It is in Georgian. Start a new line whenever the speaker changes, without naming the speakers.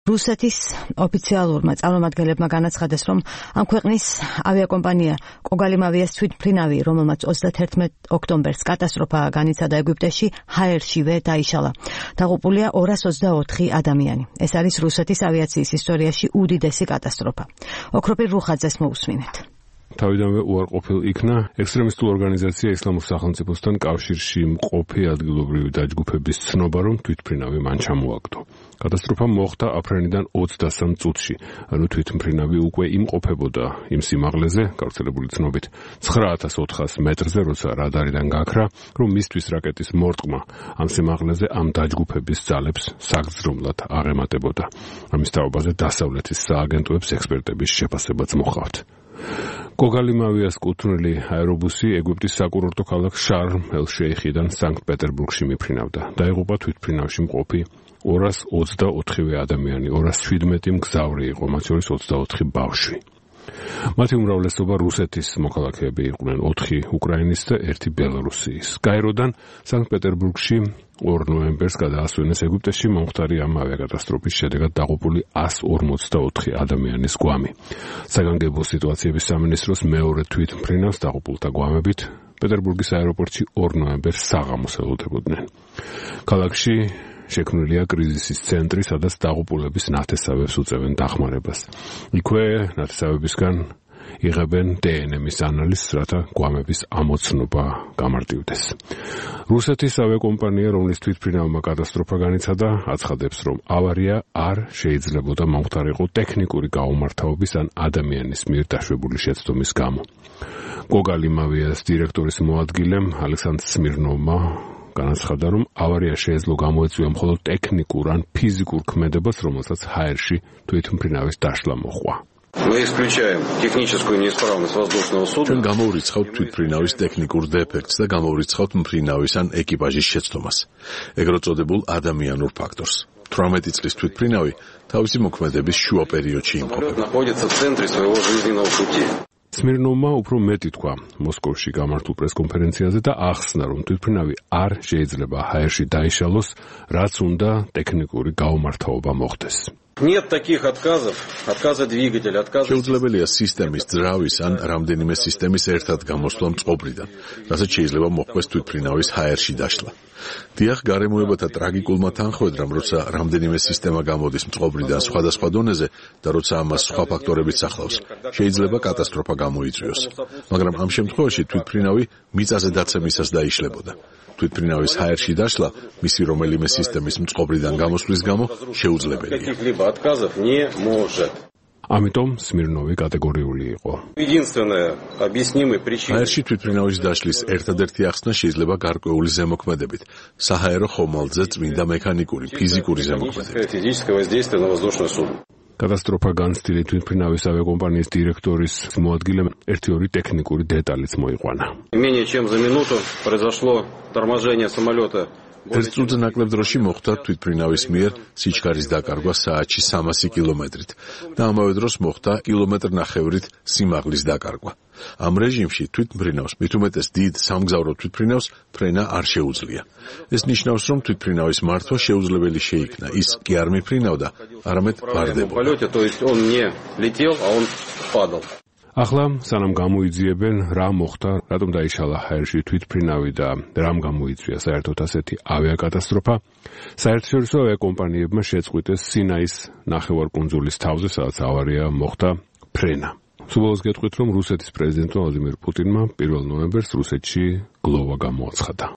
რუსეთის ოფიციალურმა წარმომადგენლებმა განაცხადეს, რომ ამ ქვეყნის ავიაკომპანია კოგალიმავიას თვითმფრინავი, რომელმაც 31 ოქტომბერს კატასტროფა განიცადა ეგვიპტეში, ჰაერშივე დაიშალა. დაღუპულია 224 ადამიანი. ეს არის რუსეთის ავიაციის ისტორიაში უდიდესი კატასტროფა. ოქროპირ რუხაძეს მოусმინეთ.
თავიდანვე უარყოფილ იქნა ექსტრემისტულ ორგანიზაცია ისლამურ სახელმწიფოსთან კავშირში მყოფი ადგილობრივი დაჯგუფების ცნობა, რომ თვითმფრინავი მან ჩამოაგდო. კატასტროფა მოხდა აფრენიდან 23 წუთში, ანუ თვითმფრინავი უკვე იმყოფებოდა იმ სიმაღლეზე, გავრცელებული ცნობით 9400 მეტრზე, როცა რადარიდან გაქრა, რომ მისთვის რაკეტის მორტყმა ამ სიმაღლეზე ამ დაჯგუფების ძალებს საგრძნობლად აღემატებოდა. ამის თაობაზე დასავლეთის სააგენტოებს ექსპერტების შეფასებაც მოჰყავთ. კოგალიმავიას კუთვნილი აერობუსი ეგვიპტის საკურორტო ქალაქ შარმ-ელ-შეიხიდან სანქტ-პეტერბურგში მიფრინავდა. დაიღუპა თვითმფრინავში მყოფი 224 ადამიანი, 217 მგზავრი იყო, მათ შორის 24 ბავშვი. მათი უმრავლესობა რუსეთის მოქალაქეები იყვნენ, 4 უკრაინის და 1 ბელარუსიის. გაეროდან სანქტ-პეტერბურგში 2 ნოემბერს გადაასვენეს ეგვიპტეში მომხდარი ამ ავიაკატასტროფის შედეგად დაღუპული 154 ადამიანის გვამი. საგანგებო სიტუაციების სამინისტროს მეორე თვითმფრინავს დაღუპულთა გვამებით პეტერბურგის აეროპორტში 2 ნოემბერს საღამოს ელოდებოდნენ. ქალაქში შექმნილია კრიზისის ცენტრი, სადაც დაღუპულების ნათესავებს უწევენ დახმარებას. იქვე ნათესავებისგან იღებენ დნმ-ის ანალიზს, რათა გვამების ამოცნობა გამარტივდეს. რუსეთის ავიაკომპანია, რომლის თვითმფრინავმა კატასტროფა განიცადა, აცხადებს, რომ ავარია არ შეიძლებოდა მომხდარიყო ტექნიკური გაუმართავობის ან ადამიანის მიერ დაშვებული შეცდომის გამო. კოგალიმავიას დირექტორის მოადგილემ ალექსანდრ სმირნოვმა განაცხადა, რომ ავარია შეეძლო გამოეწვია მხოლოდ ტექნიკურ ან ფიზიკურ ქმედებას, რომელსაც ჰაერში თვითმფრინავის დაშლა მოჰყვა.
ჩვენ გამოვრიცხავთ თვითმფრინავის ტექნიკურ დეფექტს და გამოვრიცხავთ მფრინავის ან ეკიპაჟის შეცდომას, ეგრეთ წოდებულ ადამიანურ ფაქტორს. 18 წლის თვითმფრინავი თავისი მოქმედების შუა პერიოდში იმყოფება.
სმირნოვმა უფრო მეტი თქვა მოსკოვში გამართულ პრესკონფერენციაზე და ახსნა, რომ თვითმფრინავი არ შეიძლება ჰაერში დაიშალოს, რაც უნდა ტექნიკური გაუმართავობა მოხდეს.
შეუძლებელია სისტემის ძრავის ან რამდენიმე სისტემის ერთად გამოსვლა მწყობრიდან, რასაც შეიძლება მოხდეს თვითმფრინავის ჰაერში დაშლა. დიახ, გარემოებათა ტრაგიკულმა თანხმედრამ, როცა რამდენიმე სისტემა გამოდის მწყობრიდან სხვადასხვა დონეზე და როცა ამას სხვა ფაქტორებიც ახლავს, შეიძლება კატასტროფა გამოიწვიოს. მაგრამ ამ შემთხვევაში თვითმფრინავი მიწაზე დაცემისას დაიშლებოდა. თვითმფრინავის ჰაერში დაშლა მისი რომელიმე სისტემის მწყობრიდან გამოსვლის გამო შეუძლებელია.
ამიტომ სმირნოვი კატეგორიული იყო.
ჰაერში თვითმფრინავის დაშლის ერთადერთი ახსნა შეიძლება გარკვეული ზემოქმედებით, საჰაერო ხომალდზე წმინდა მექანიკური, ფიზიკური ზემოქმედებით.
კატასტროფა განცდილი თვითმფრინავის ავიაკომპანიის დირექტორის მოადგილემ 1-2 ტექნიკური დეტალიც მოიყვანა.
ერთ წუთზე ნაკლებ დროში მოხდა თვითმფრინავის მიერ სიჩქარის დაკარგვა საათში 300 კილომეტრით და ამავე დროს მოხდა კილომეტრ-ნახევრით სიმაღლის დაკარგვა. ამ რეჟიმში თვითმფრინავს, მით უმეტეს დიდ სამგზავრო თვითმფრინავს, ფრენა არ შეუძლია. ეს ნიშნავს, რომ თვითმფრინავის მართვა შეუძლებელი შეიქნა. ის კი არ მიფრინავდა, არამედ ვარდებოდა.
ახლა სანამ გამოიძიებენ რა მოხდა, რატომ დაიშალა ჰაერში თვითმფრინავი და რამ გამოიწვია საერთოდ ასეთი ავიაკატასტროფა, საერთაშორისო ავიაკომპანიებმა შეწყვიტეს სინაის ნახევარკუნძულის თავზე, სადაც ავარია მოხდა, ფრენა. სულ გეტყვით, რომ რუსეთის პრეზიდენტმა ვლადიმირ პუტინმა 1 ნოემბერს რუსეთში გლოვა გამოაცხადა.